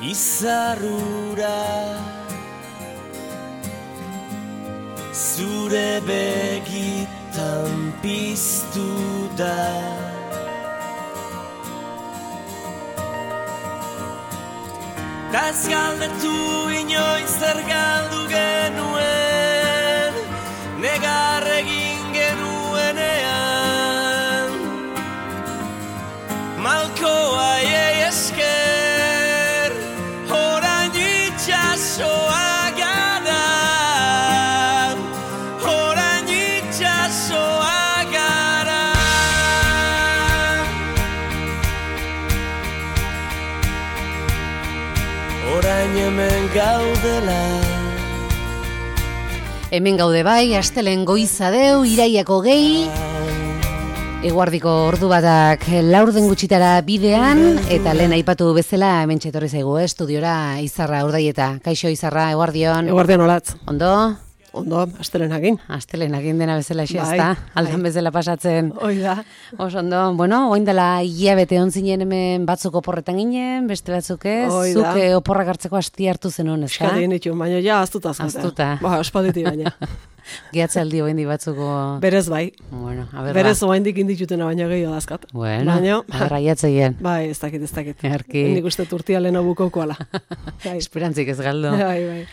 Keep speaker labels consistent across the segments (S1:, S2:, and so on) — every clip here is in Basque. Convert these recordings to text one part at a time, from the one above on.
S1: izarrura zure begitan piztu da. Ez galdetu inoiz zer galdu genuen, negar egin genuenean. Malkoa esker, orain itxasoa gara, orain itxasoa gara. Orain hemen gaudela.
S2: Hemen gaude bai, astelen goiza deu, iraiako gehi. Eguardiko ordu batak laurden gutxitara bidean, eta lehen aipatu bezala hemen txetorri zaigu, estudiora Izarra Urdaieta. Kaixo Izarra, eguardion.
S3: Eguardion olatz.
S2: Ondo?
S3: Ondo, astelenakin.
S2: Astelenakin dena bezala xezta, aldan bezala pasatzen.
S3: Hoi da.
S2: Oso ondo, bueno, oin dela hilabete ontzinen hemen batzuk oporretan ginen, beste batzuk ez, zuk oporrak hartzeko asti hartu zenuen, ez da?
S3: Eskadi nitu, baina ja aztuta azkate.
S2: Aztuta.
S3: Ba, espalditi baina.
S2: Gehatzaldi oin di batzuko...
S3: Berez bai.
S2: Bueno, a ver,
S3: berez oain dik inditutena baina gehiago dazkat.
S2: Bueno, agarraiatzeien.
S3: Bai, ez dakit.
S2: Erki.
S3: Nik uste turtia leheno bukaukoala.
S2: Esperantzik ez galdo.
S3: Bai.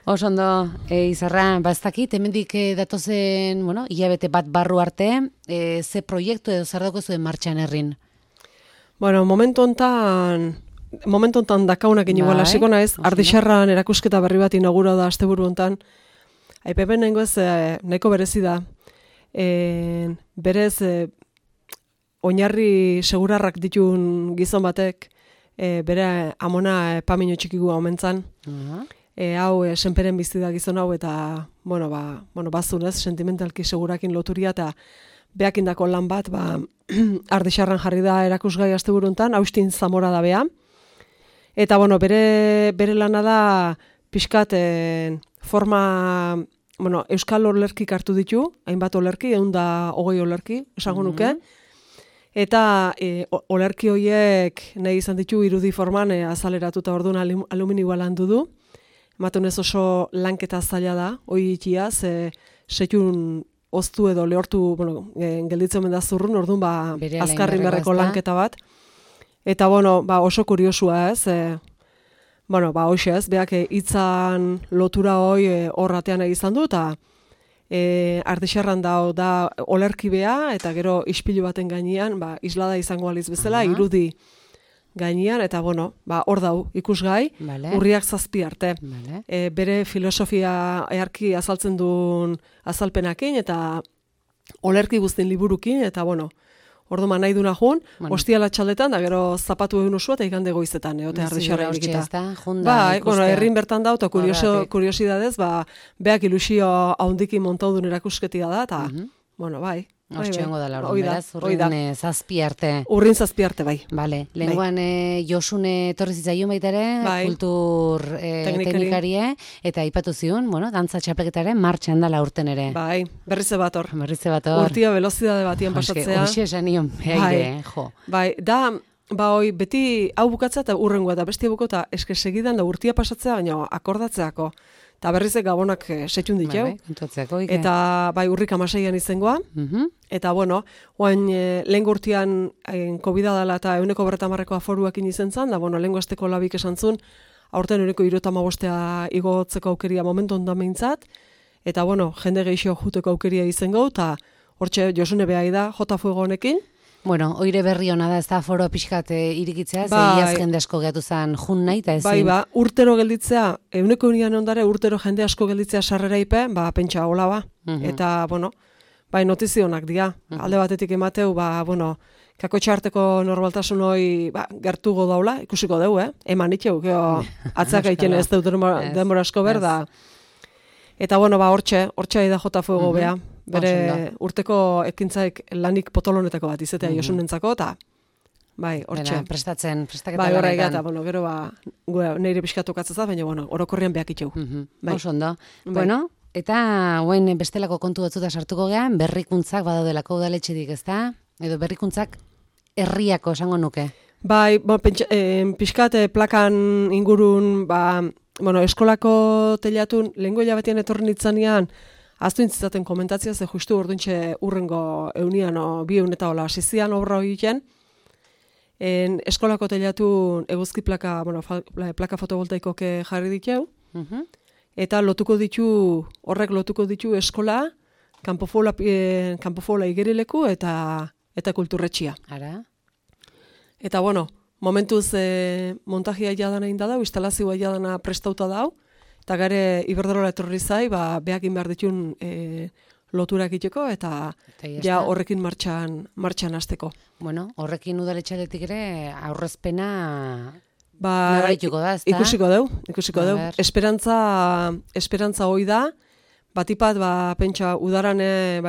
S2: Oso ondo, Izarra, ez hemendik datozen, bueno, hilabete bat barru arte, ze proiektu edo zer dauko zuen martxan herrin?
S3: Bueno, momentu hontan dakaunak igual hasiko naiz, Ardixarran erakusketa berri bat inauguratu da asteburu hontan. Aipepen nengoez nahiko berezi da. Berez oinarri segurarrak ditun gizon batek, bere amona pamino txikigu omentzan. Hau senperen bizi da gizon hau eta bazunez sentimentalki segurakin loturia eta beakindako lan bat Ardixarran jarri da erakusgai asteburu hontan, Austin Zamora da bea. Eta bere lana da pixkat forma euskal olerkik hartu ditu, hainbat olerki, 120 olerki, esango nuke. Eta olerki horiek nahi izan ditu irudi forman azaleratuta orduan aluminioa landu du. Ematen ez oso lanketa zaila da, hori ikia, setxun oztu edo lehortu, gelditzen omen da zurrun, orduan azkarrin berreko lanketa bat. Eta oso kuriosua ez, hoxe ez, beak hitzan lotura hoi horratean egizan du, eta Ardixarran da olerki bea, eta gero ispilu baten gainean, islada izango aliz bezala, irudi gainean, eta hor dau ikusgai, urriak 7 arte. Bere filosofia earki azaltzen duen azalpenakin, eta olerki guztien liburukin, eta orduan nahi duna jun, ostiala txaldetan, da gero zapatu egin usua, eta igande goizetan, eote Ardixarra egita. Herrin bertan da, eta kuriosidadez, beak ilusio haundikin montau duen erakusketia da, eta, bai.
S2: Ostxoengo dela orduan, beraz, urrin 7 arte.
S3: Urrin 7 arte, bai.
S2: Bale, lehenguan Josune etorri zitzaion baita ere, kultur teknikarie, eta aipatu zion, dantza txapelketaren martxan dela urten ere.
S3: Bai, berrize bat hor.
S2: Urtia
S3: velozidade batien pasatzea.
S2: Hoxe esan nion, behaide, jo.
S3: Bai, beti hau bukatzea eta urrengoa, eta bestia buko, eta eske segidan da urtia pasatzea, baina akordatzeako. Eta berrizek gabonak setxun ditu. Eta urrik 16an izengoa. Eta oain lehen urtean COVID-a dela eta 150 aforuakin izen zan, da lehen azteko labik esan zun, aurten 175 igotzeko aukeria momentu ondan behintzat, eta jende gehixo juteko aukeria izengo, eta hortxe Josune behai da, jota fuego honekin.
S2: Oire berri hona da, ez da foro pixkat irikitzea, iaz jende asko gehatu zen jun nahi, eta ezin.
S3: Urtero gelditzea, 100 ondare urtero jende asko gelditzea sarrera ipe, pentsa hola ba. Eta, notizionak dira. Alde batetik emateu, kako txarteko normaltasun hoi gertugo daula, ikusiko deu, eman itxeu, atzak egiten ez dut denbora asko berda. Eta, hortxe da jota fuego beha. Bere urteko ekintzaik lanik potolonetako bat izatea Josunentzako, eta hortxe.
S2: Prestaketa
S3: lanetan. Horrega, eta gero neire pixkatu katzaz da, baina orokorrian behak itxeu.
S2: Oso ondo. Eta guen bestelako kontu batzuta sartuko gehan, berrikuntzak badaudelako udaletxedik, ez da? Edo berrikuntzak herriako esango nuke.
S3: Bai, pixkat plakan ingurun, eskolako telatun, lehengo hilabetian etorri nitzanean, aztu intzizaten komentatzia, ze justu orduntxe urrengo eunian, bi eun eta hola, asizian obra horien, eskolako telatun eguzki plaka, plaka fotovoltaikoak jarri ditu, eta horrek lotuko ditu eskola, kanpofola igerileku eta kulturretxia.
S2: Ara?
S3: Eta momentuz montajia jadana inda dau, instalazioa jadana prestauta dau, eta gare Iberdrola etorri zai, behakin behar ditun loturak iteko, eta ja horrekin martxan hasteko.
S2: Bueno, horrekin udaletxaletik ere aurrezpena nabaraituko da, ezta?
S3: Ikusiko deu. Esperantza hoi da, batipat, pentsa, udaran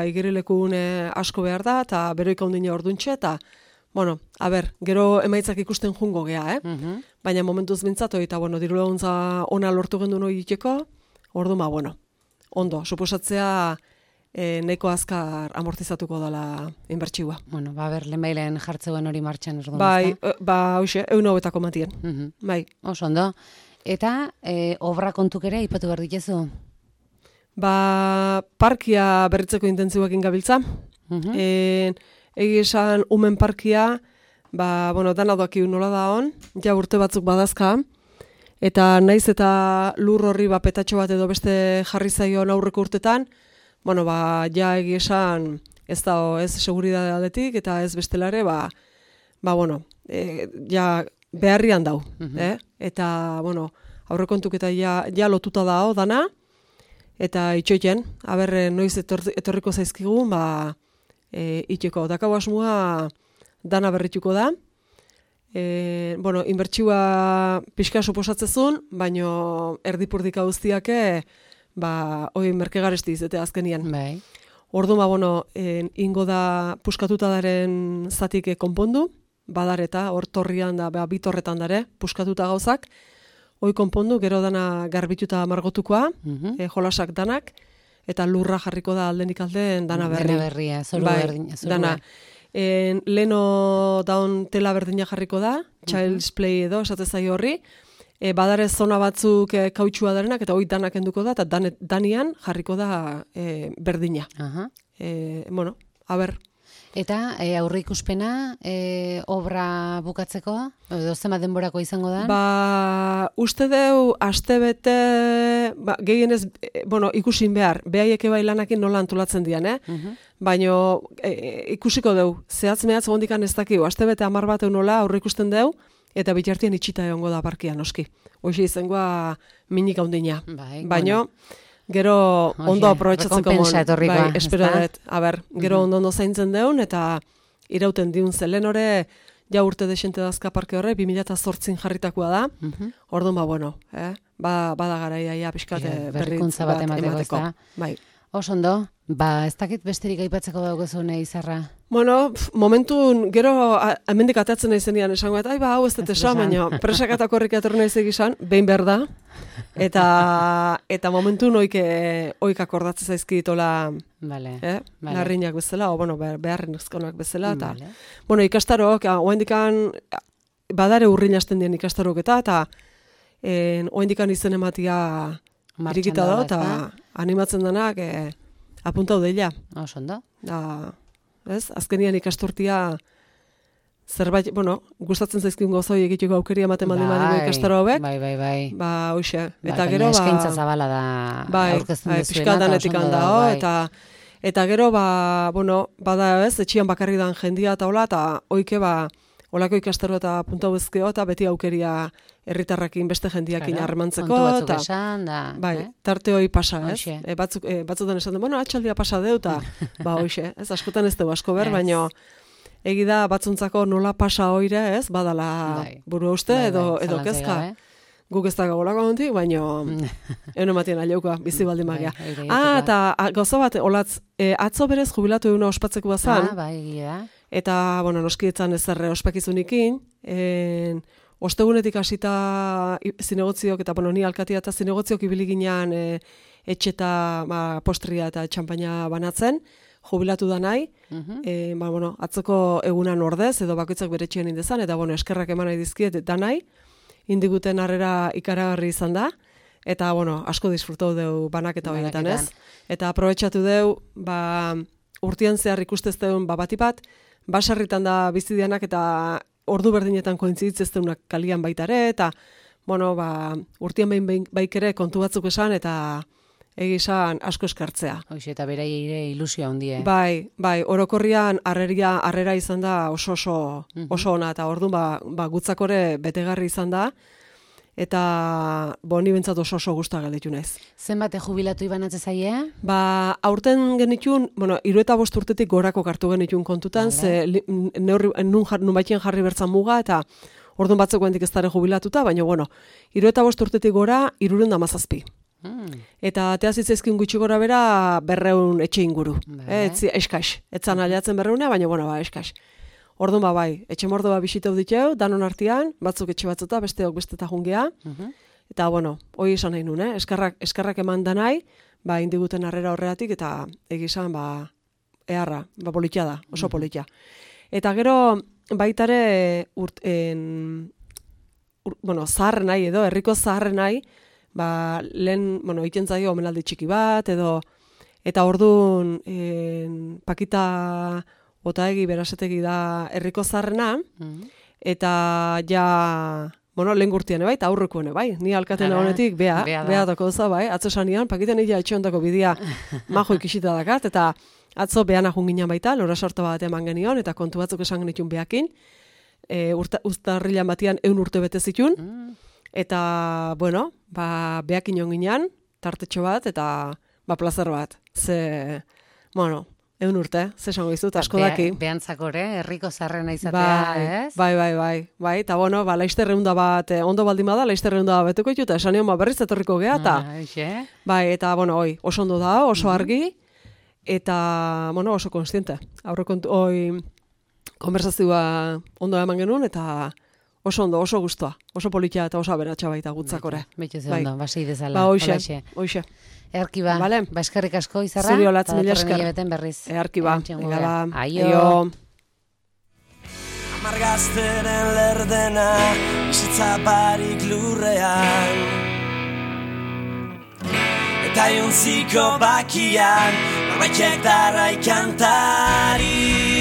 S3: igerilekun asko behar da, eta beroika ondine orduntxe, eta gero emaitzak ikusten jungo gea, baina momentuz bintzatu, eta diru laguntza ona lortu gendu noi iteko, orduan, ondo, suposatzea nahiko azkar amortizatuko dela inbertsioa.
S2: Bueno, lehenbailen jartzeuen hori martxan orduan,
S3: bai, hoxe, 100 matien. Bai.
S2: Oso ondo. Eta obra kontuk ere ipatu behar ditezu?
S3: Parkia berritzeko intentzioekin gabiltza. Egi esan umen parkia, dana doaki nola da hon, ja urte batzuk badazka, eta naiz eta lur horri petatxo bat edo beste jarri zaion aurreko urtetan, ja egi esan ez da ez seguridade aldetik, eta ez bestelare, ja beharrian dau. Eta, aurrekontuk eta ja lotuta dao dana, eta itxoiten, noiz etorriko zaizkigun, itxeko. Dakau asmoa dana berrituko da. Inbertsioa pixka suposatzezun, baino erdipurdika guztiake, hoi merkegaresti izate azkenian.
S2: Bai.
S3: Orduan, ingo da puskatuta daren zatik konpondu, badareta, hor torrian da, bitorretan dare, puskatuta gauzak, hoi konpondu, gero dana garbituta margotukoa, jolasak danak, eta lurra jarriko da aldenik alden dana berri.
S2: Dana berria, zoru berdina.
S3: Dana. Leno daun tela berdina jarriko da, Child's Play edo, esatezai horri, badare zona batzuk kautxua darenak, eta hoi danak enduko da, eta danian jarriko da berdina.
S2: Eta aurre ikuspena obra bukatzeko, edo zenbat denborako izango da?
S3: Uste deu, astebete, gehienez, ikusin behar, behaieke bai lanakin nola antolatzen dian, baina ikusiko deu, zehatz mehatz gondikan ez dakiu, astebete 10 bat nola aurre ikusten deu, eta bitartian itxita egongo da parkia noski. Hoxe izangoa minik haundina. Baina, gero ondo aprobetxatzeko espero dut. Gero ondo zaintzen deun, eta irauten diun zelen hori, ja urte desente dazka parke horre, 2008 jarritakoa da. Orduan, bada garaia pixkate
S2: berrikuntza bat emateko.
S3: Bai.
S2: Osondo, ez dakit besterik aipatzeko daugozune Izarra?
S3: Momentun, gero hemendik atatzen nahi zenian esango, eta hau ez dut esan, baina presakatako horrik atorri nahi zegizan, behin behar da, eta momentun oik akordatzen zaizkitola larriñak bezala, beharren ezkonak bezala, eta ikastarok, oendikan, badare urrin hasten dien ikastarok eta oendikan izen ematia irikita da, eta animatzen denak apuntau deila.
S2: Osondo.
S3: Azkenian ikasturtia zerbait, gustatzen zaizkiun gozoi egiteko aukeria ematen badimadigu ikastaro hauek.
S2: Bai.
S3: Hoxe. Eta gero,
S2: eskaintza zabala da aurkezten dezuena.
S3: Pixkaldanetik handao, eta gero, bada etxian bakarri dan jendia eta hola, eta oike, olako ikastaro eta puntau ezkeo, eta beti aukeria herritarrakin beste jendiakin harremantzeko.
S2: Kontu batzuk esan, da.
S3: Tarte hoi pasa, ez? Batzutan esan den, atxaldia pasa deu, eta hoxe, ez, askotan ez deu asko ber, baina egi da batzuntzako nola pasa hoire, ez, badala buru uste, edo kezka. Guk ez da gagolako hontik, baina egon ematien aliauka, bizi baldin magia. Eta gauza bat, olatz, atzo berez jubilatu eguna ospatzeko bazan, eta, noskietzan ezerre ospakizunikin, ostegunetik hasita zinegotziok, eta ni alkatia eta zinegotziok ibili ginean etxeta postria eta txampaina banatzen, jubilatu da nahi, atzoko egunan ordez, edo bakoitzak bere etxean indezan, eta eskerrak eman nahi dizkiet da nahi, indiguten harrera ikaragarri izan da, eta asko disfrutau deu banaketa horietan, ez? Eta aprobetxatu deu, urtean zehar ikustez deun batipat, basarritan da bizidianak eta ordu berdinetan kointziditz deunak kalian baitare, eta urtean behin baikere kontu batzuk esan, eta egizan asko eskartzea.
S2: Hoxe, eta bera ilusioa handie.
S3: Bai, orokorrian harrera izan da oso ona, eta orduan gutzakore betegarri izan da, eta ni bentsat oso guztua galditu naiz.
S2: Zenbate jubilatu ibanatze zaie?
S3: Aurten genitun, 75 urtetik gorako kartu genitun kontutan, ze nun baitien jarri bertzan muga, eta orduan batzeko hendik ez dara jubilatuta, baina 75 urtetik gora 317. Eta teazitzaizkin gutxi gora bera 200 etxe inguru. Eskaz, etzan aliatzen 200, baina eskaz. Orduan bai, etxe mordo bisitau diteu, danon artean, batzuk etxe batzuta, besteok besteta jungea. Eta hoi esan nahi nun, eskarrak eman da nahi, indiguten harrera horreatik, eta egizan, eharra, politia da, oso politia. Eta gero, baitare, zaharren nahi edo, herriko zaharren nahi, lehen, iten zaio omenaldi txiki bat, edo, eta orduan, Pakita Otaegi berasetegi da herriko zaharrena, eta lehen gurtien, eta aurrekoen, ni alkaten honetik, bea dako doza, atzo sanian, Pakiten ia etxeondako bidea majo ikisita dakat, eta atzo beana junginan baita, lora sorta bat eman genion, eta kontu batzuk esan genitun beakin, uztarrilan batian 100 urte bete zitun, eta, beakin jonginan, tartetxo bat, eta plazer bat. Ze, 100 urte, ze esango izut, asko daki.
S2: Behantzakore, herriko zarrena izatea, ez?
S3: Bai, eta laizterreunda bat, ondo baldin bada, laizterreunda bat betuko ditu, eta esan nion berriz etorriko geha, eta, eta, oso ondo da, oso argi, eta, oso konstiente. Aurrekontu, konversazioa ondo eman genuen, eta oso ondo, oso guztua, oso politia eta oso aberatxa baita gutzakore.
S2: Betxu ze ondo, basei dezala.
S3: Hoxe.
S2: Erkiba, eskerrik asko izarra.
S3: Zuri olatz, mila esker. Erkiba, aio.
S1: Amargazteren lerdena, bizitza barik lurrean. Eta jontziko bakian, norbaitek darrai kantari.